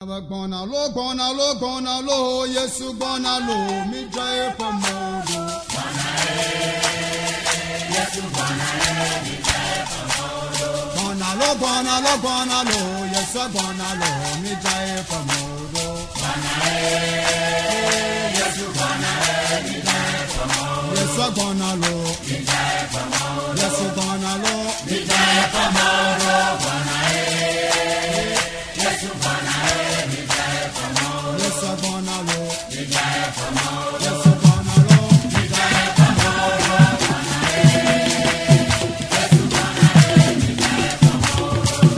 Gbɔna lo gbɔna lo gbɔna lo Yesu gbɔna lo mi dza eƒe mɔ ɖo. Gbɔna lo gbɔna lo gbɔna lo Yesu gbɔna lo mi dza eƒe mɔ ɖo. Yesu gbɔna lo Yesu gbɔna lo mi dza eƒe mɔ ɖo. Yesu gbɔna lo Yesu gbɔna lo mi dza eƒe mɔ ɖo.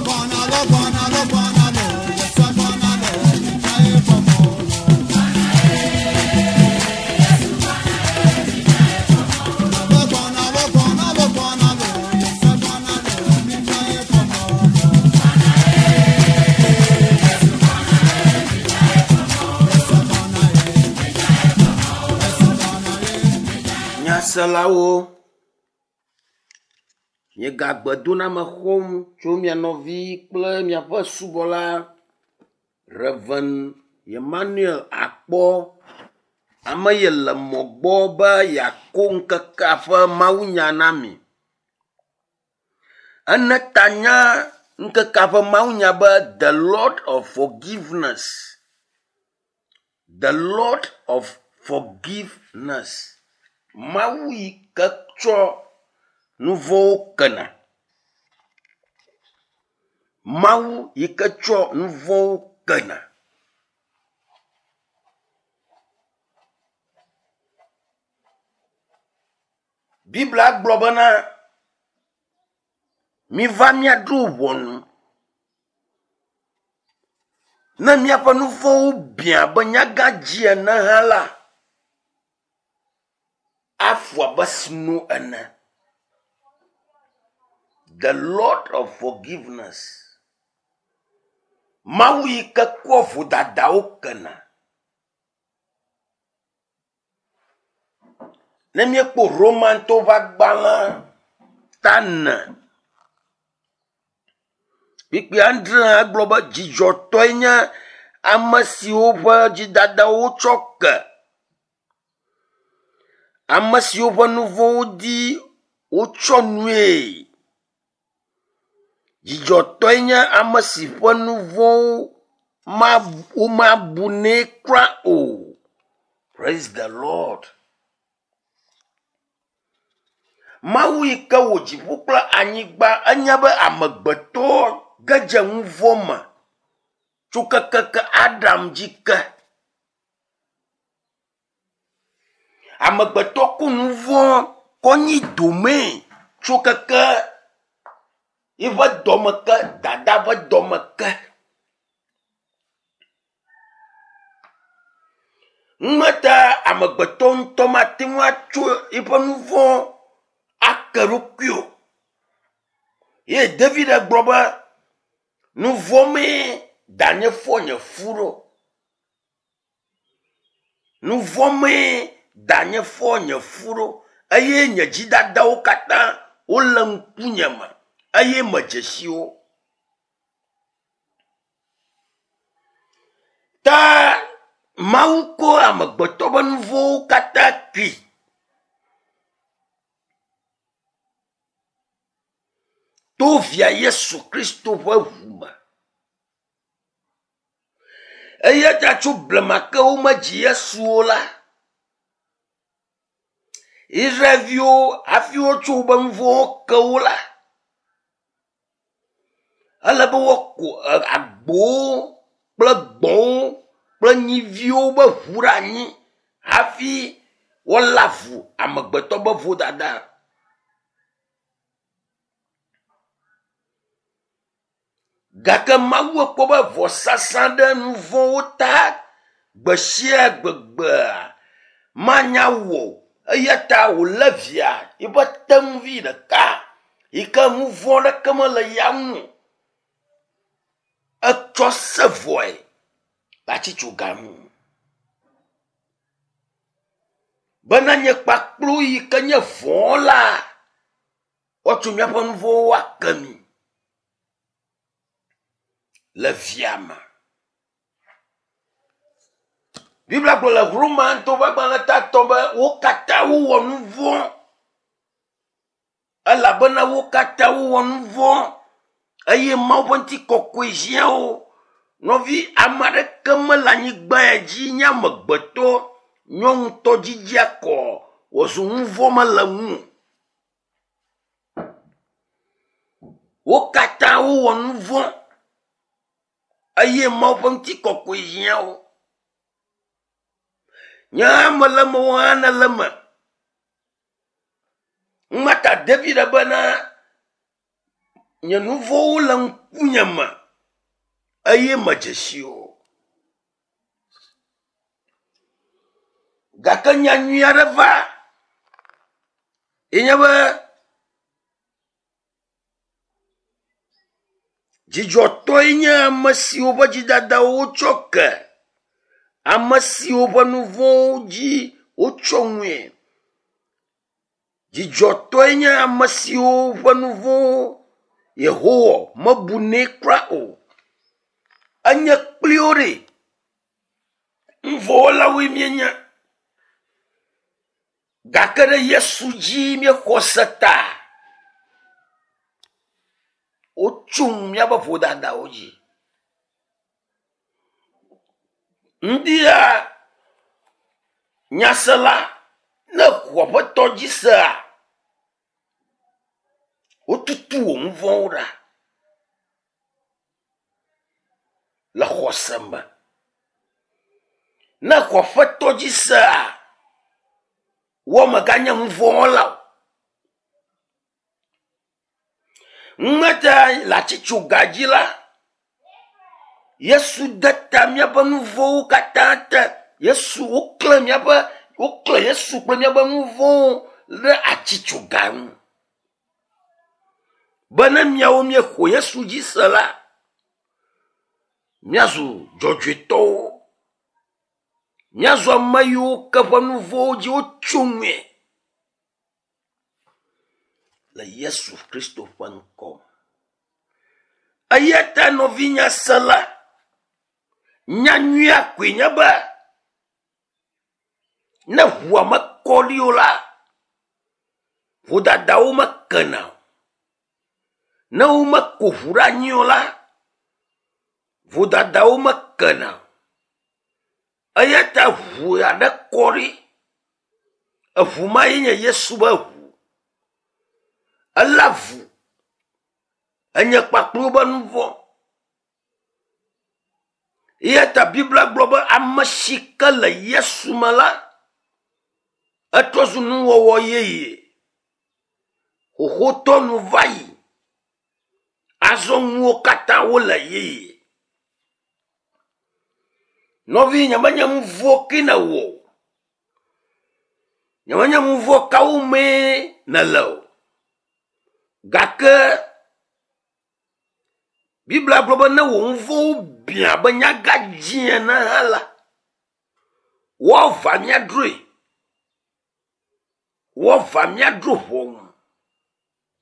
Gbɔna lo gbɔna lo gbɔna lo Yesu gbɔna lo mi dza eƒe mɔ ɖo. Gbɔna lo gbɔna lo gbɔna lo Yesu gbɔna lo mi dza eƒe mɔ ɖo. Yesu gbɔna ye. Yesu gbɔna ye. Nyaselawo, miegagbe doname xɔm tso mia nɔvi kple miaƒe subɔla Rev. Emmanuel Akpɔ, ame yi le mɔ gbɔ be yeako ŋkekea ƒe mawunya na mi. Ene ta nya ŋkekea ƒe mawunya be The Lord of Forgiveness. The Lord of Forgiveness. Mawu yi ke tsɔ nu vɔ̃wo kena. Mawu yi ke tsɔ nu vɔ̃wo kena. Biblia gblɔ bena miva míaɖo ʋɔnu. Ne míaƒe nu vɔ̃wo biã abe nyagãdzi ene hã la, afu abe sno ene. The Lord of Forgiveness. Mawu yi ke kɔ vodadawo kena. Ne míekpɔ Romantɔwo ƒe agbalẽ ta ene kpukpui adre egblɔ be dzidzɔtɔe nye ame siwo ƒe dzidadawo wotsɔ ke. Ame siwo ƒe nu vɔ̃wo dzi wotsɔ nue. Dzidzɔtɔe nye ame si ƒe nu vɔ̃wo womabu nɛ kura o. Praise the Lord. Mawu yi ke wɔ dziƒo kple anyigba enya be amegbetɔ ge dze nu vɔ̃ me tso kekeke Adam dzi ke. Amegbetɔ ku nu vɔ̃ kɔ nyi domee tso keke yiƒe dɔme ke, dada ƒe dɔme ke. Numeta amegbetɔ ŋutɔ mate ŋu atso eƒe nu vɔ̃ ake ɖokui o. Ye David gblɔ be, nu vɔ̃ mee danye fɔ nye fu ɖo. Nu vɔ̃ mee danye fɔ nye fu ɖo eye nye dzidadawo katã wole ŋkunye me eye medze si wo. Ta Mawu ko amegbetɔ ƒe nu vɔ̃wo katã kui. To via Yesu Kristo ƒe ʋu me. Eya ta tso blema ke womedzi Yesu o la, Israelviwo hafi wotsɔ woƒe nu vɔ̃wo ke wo la, ele be woaku agbowo kple gbɔ̃wo kple nyiviwo be ʋu ɖe anyi hafi woalé avu amegbetɔ be vodada. Gake Mawu ekpɔ be vɔsasa ɖe nu vɔ̃wo ta gbe sia gbegbea manya wɔ o. Eya ta wòlé via yiƒe tenuvi ɖeka yi ke nu vɔ̃ ɖeke mele ya ŋu o. Etsɔ se vɔe le atsitsoga ŋu. Bena nye kpakplu yi ke nye vɔ̃ la, woatso míaƒe nu vɔ̃wo ake mi le via me. Biblia gblɔ le Romatɔwo ƒe agbalẽ tatɔ be wo katã wowɔ nu vɔ̃ elabena wo katã wowɔ nu vɔ̃ eye Mawu ƒe ŋutikɔkɔe hiã wo. Nɔvi, ame aɖeke mele anyigba ya dzi nye amegbetɔ nyɔnutɔ dzidzia kɔ wòzu nu vɔ̃ mele ŋu o. Wo katã wowɔ nu vɔ̃ eye Mawu ƒe ŋutikɔkɔe hiã wo. Nye hã mele eme, wò hã nèle eme. Mata David bena nye nu vɔ̃wo le ŋkunye me eye medze si o. Gake nya nyui aɖe va ye nye be dzidzɔtɔe nye ame siwo ƒe dzidadawo wotsɔ ke, ame siwo ƒe nu vɔ̃wo dzi wotsɔ ŋue. Dzidzɔtɔe nye ame siwo ƒe nu vɔ̃wo Yehowa mebunɛ kura o. Enye kpli wo ɖe. Nuvɔ̃wɔlawoe míenye. Gake ɖe Yesu dzi míexɔ se ta. Wotso míaƒe vodadawo dzi. Ŋdia nyasela ne xɔ Aƒetɔ dzi sea, wotutu wò nu vɔ̃wo ɖa le xɔse me. Ne xɔ Aƒetɔ dzi sea, wò mèganye nu vɔ̃ wɔla o. Ŋmete le atsitsoga dzi la, Yesu de ta míaƒe nu vɔ̃wo katã te. Yesu woklẽ míaƒe woklẽ Yesu kple míaƒe nu vɔ̃wo ɖe atsitsoga ŋu. Be ne míawo míexɔ Yesu dzi se la, míazu dzɔdzɔetɔwo. Míazu ame yiwo ke ƒe nu vɔ̃wo dzi wotso ŋue. Le Yesu Kristo ƒe ŋkɔ me. Eya ta nɔvinya sela, nya nyuia koe nye be ne ʋua mekɔ ɖi o la, vodadawo mekena o. Ne womeko ʋu ɖe anyi o la, vodadawo mekena o. Eya ta ʋu aɖe kɔ ɖi. Eʋu ma ye nye Yesu ƒe ʋu. Elé avu enye kpakple woƒe nu vɔ̃. Eya ta Biblia gblɔ be ame si ke le Yesu me la, etrɔ zu nuwɔwɔ yeye. Xoxotɔ nu va yi. Azɔ nuwo katã wole yeye. Nɔvi nyemenye nu vɔ̃ ke nèwɔ o. Nyemenye nu vɔ̃ kawo mee nèle o. Gake Biblia gblɔ be ne wò nu vɔ̃wo biã abe nyagadzĩ ene hã la, woava míadroe. Woava míadro ʋɔnu.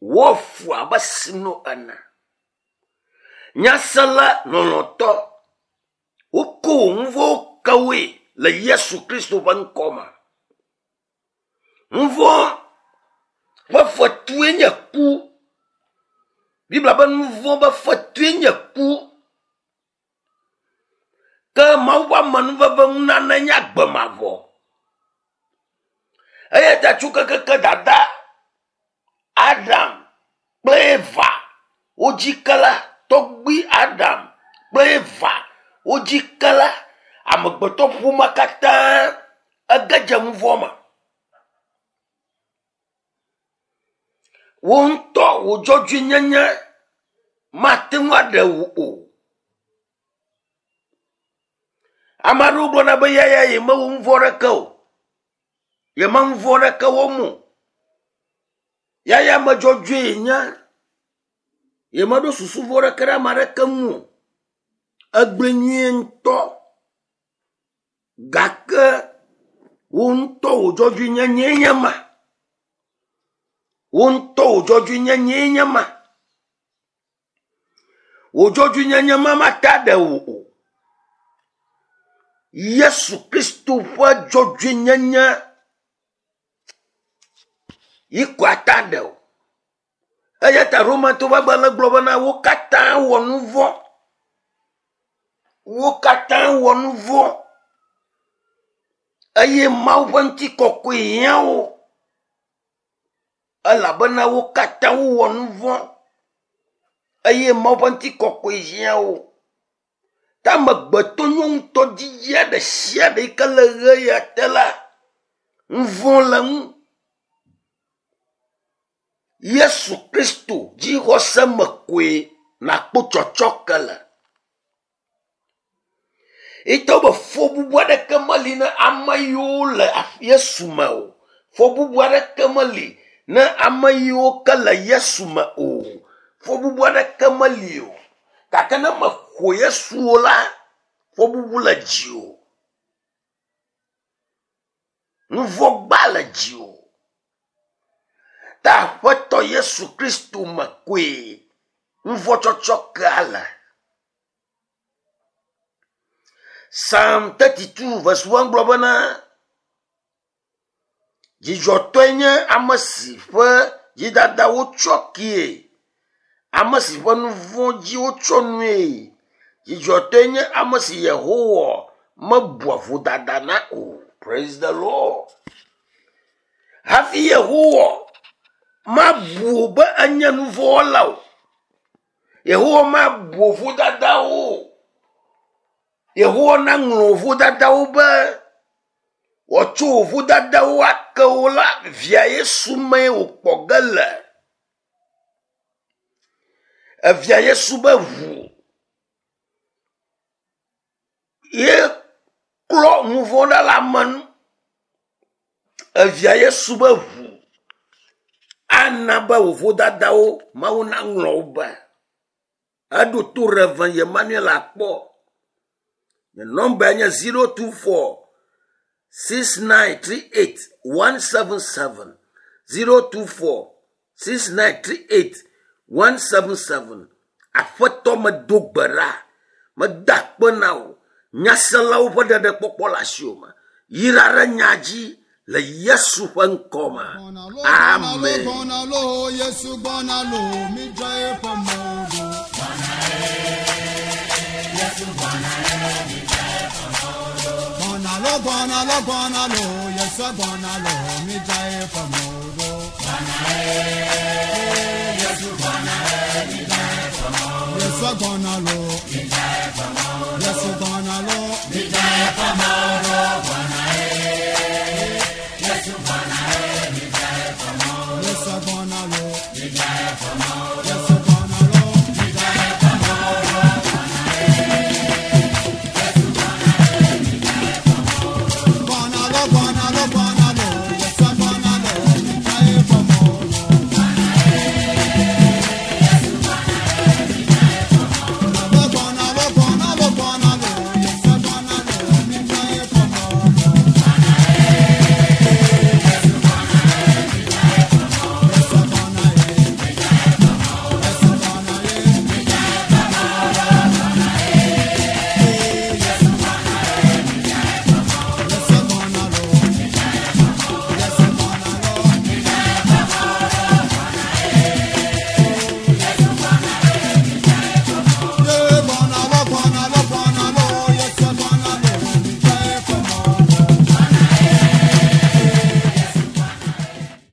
Woafu abe sno ene. Nyasela lɔlɔ̃tɔ, woko wò nu vɔ̃wo ke woe le Yesu Kristo ƒe ŋkɔ me. Nu vɔ̃ ƒe fetue nye ku. Biblia be nu vɔ̃ ƒe fetue nye ku. Ke Mawu ƒe amenuveve nunana nye agbe mavɔ. Eya ta tso kekeke dada Adam kple Eva wodzi ke la, tɔgbui Adam kple Eva wodzi ke la, amegbetɔ ƒomea katã ege dze nu vɔ̃ me. Wò ŋutɔ wò dzɔdzɔenyenye mate ŋu aɖe wò o. Ame aɖewo gblɔna be yaya yemewɔ nu vɔ̃ aɖeke o. Yeme nu vɔ̃ aɖeke wɔm o. Yaya ame dzɔdzɔe yenye. Yemeɖo susu vɔ̃ aɖeke ɖe ame aɖeke ŋu o. Egblɔe nyuie ŋutɔ. Gake wò ŋutɔ wò dzɔdzɔenyenyee nye ma. Wò ŋutɔ wò dzɔdzɔenyenyee nye ma. Wò dzɔdzɔenyenye ma mate aɖe wò o. Yesu Kristo ƒe dzɔdzɔenyenye yi ko ata ɖe o. Eya ta Romatɔwo ƒe agbalẽ gblɔ bena wo katã wɔ nu vɔ̃. Wo katã wɔ nu vɔ̃ eye Mawu ƒe ŋutikɔkɔe hiã wo elabena wo katã wowɔ nu vɔ̃ eye Mawu ƒe ŋutikɔkɔe hiã wo. Ta amegbetɔ nyɔnutɔ dzidzia ɖe sia ɖe yi ke le ʋe ya te la, nu vɔ̃ le eŋu. Yesu Kristo dzixɔse me koe nàkpɔ tsɔtsɔke le. Etɔ be fɔbubu aɖeke meli na ame yiwo le Yesu me o. Fɔbubu aɖeke meli na ame yiwo ke le Yesu me o. Fɔbubu aɖeke meli o. Gake ne mexɔ Yesu o la, fɔbubu le dziwò. Nuvɔ̃gba le dziwò. Ta Aƒetɔ Yesu Kristo me koe nuvɔ̃tsɔtsɔkea le. Psalm 32 verse 1 gblɔ bena, Dzidzɔtɔe nye ame si ƒe dzidada wotsɔ kee, ame si ƒe nu vɔ̃ dzi wotsɔ nue. Dzidzɔtɔe nye ame si Yehowa mebua vodada na o. Praise the Lord. Hafi Yehowa mabu wò be enye nu vɔ̃ wɔla o. Yehowa mabu wò vodadawo o. Yehowa naŋlɔ wò vodadawo be wòatsɔ wò vodadawo ake wò la, via Yesu mee wòkpɔ ge le. Evia Yesu be ʋu ye klɔ nu vɔ̃ ɖa le ame nu. Evia Yesu be ʋu ana be wò vodadawo Mawu naŋlɔ wo be. Eɖo to Rev. Emmanuel akpɔ. Nye nɔmbae nye 024 6938 177 024 6938 177. Aƒetɔ medo gbe ɖa, meda akpe na wò. Nyaselawo ƒe ɖeɖekpɔkpɔ le asiwò me. Yra ɖe nya dzi le Yesu ƒe ŋkɔ me. Amen. Gbɔna lo, Yesu gbɔna lo, midza eƒe mɔ ɖo. Gbɔna lo, gbɔna lo, gbɔna lo, Yesu gbɔna lo, midza eƒe mɔ ɖo. Yesu gbɔna lo, Yesu gbɔna lo,